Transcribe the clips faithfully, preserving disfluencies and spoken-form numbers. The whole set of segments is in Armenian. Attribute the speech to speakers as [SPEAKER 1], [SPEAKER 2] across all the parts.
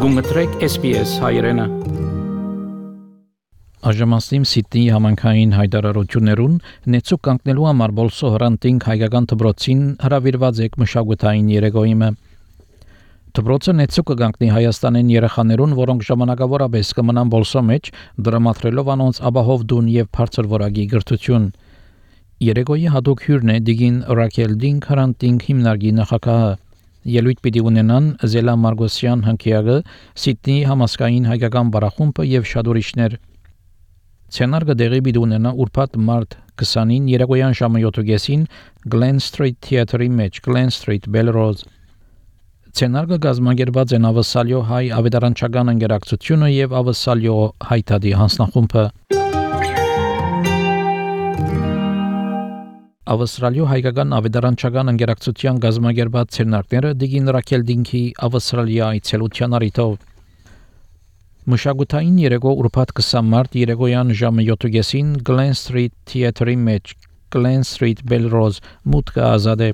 [SPEAKER 1] Գումտրեք S B S հայրենը։
[SPEAKER 2] Աժամասիմ Սիդնեի համանքային հայտարարություններուն նեցուկ կանգնելու համար բոլսո հրանտինք հայկական դպրոցին հրավիրված եք մշակութային երեկոյիմը։ Դպրոցը նեցուկ կանգնի Հայաստանեն երեխաներուն, որոնք ժամանակավորապես կմնան բոլսո մեջ, դրամատրելով անոնց ապահով դուն եւ բարձր որակի գրթություն։ Երեկոյի հատուկ հյուրն է Դիգին Ռաքել Դինք հրանտինք հիմնարկի նախագահը։ Ելույթ պիտի ունենան Զելա Մարգոսյան հնկիագը, Սիդնեի համասկային հայկական բարախումբը եւ շատ ուրիշներ։ Ցենարգը դեղի պիտի ունենա ուրբաթ մարտ քսանին երեկոյան ժամը յոթ Glen Street Theatre-ի մեջ, Glen Street, Belrose։ Ցենարգը գազմագերված են Ավսալյո հայ ավետարանչական ընկերակցությունը եւ Ավսալյո հայտարարի հանձնախումբը։ Ավստրալիո հայկական ավետարանչական ընկերակցության գազմագերված ցերնակները Դիգին Ռաքել Դինքի Ավստրալիա այցելության առիթով մշակութային երեկո ուրբաթ քսան մարտ երեկոյան ժամը յոթ Glen Street Theatre-ի մեջ, Glen Street, Belrose, մուտքը ազատ է։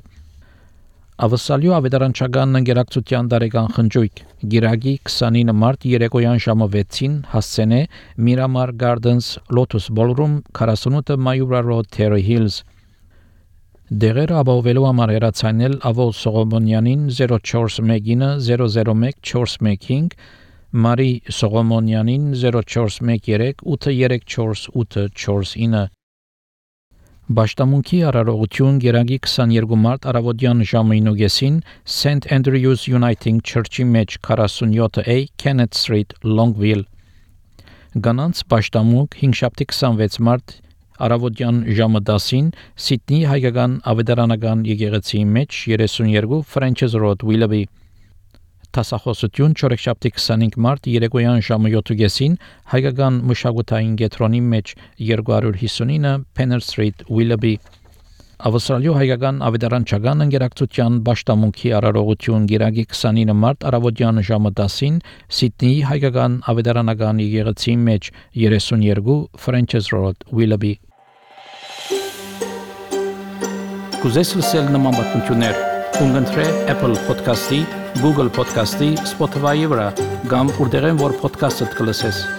[SPEAKER 2] Ավստրալիո ավետարանչական ընկերակցության տարեկան խնջույք Գիրագի քսանինը մարտ երեկոյան ժամը վեցին հասցենե Miramar Gardens Lotus Ballroom քառասունութ Mayura Road, Terry Hills։ Դեղերը ապահովելու համար հեռացանել Ավոլ Սողոմոնյանին zero four one zero zero one four one five, Մարի Սողոմոնյանին zero four one three eight three four eight four nine։ Բաշտամունքի արարողություն Գերագի քսաներկու մարտ առավոտյան ժամը ինը Saint Andrews Uniting Church-ի մեջ քառասունյոթ A Kenneth Street, Longville։ Գանանց բաշտամունք հինգշաբթի քսանվեց մարտ Առավոտյան ժամը դասին Սիդնեի հայկական ավետարանական եկեղեցիի մեջ երեսունյերկու Frenches Road, Willoughby։ Տասախոսություն չորեքշաբթի քսանինը մարտ երեկոյան ժամը յոթ հայկական մշակութային կենտրոնի մեջ երկու հիսունինը Penner Street, Willoughby։ Ավստրալիո հայկական ավետարանչական ընկերակցության բաշտամունքի արարողություն Գիրագի քսանինը մարտ առավոտյան ժամը դասին Սիդնեի հայկական ավետարանական եկեղեցիի մեջ երեսունյերկու Frenches Road, Willoughby։
[SPEAKER 1] Կուզես լսել նման բանություններ, կընտրե Apple Podcast-ի, Google Podcast-ի, Spotify-ի վրա, կամ որտեղեն որ podcast-ը կլսես։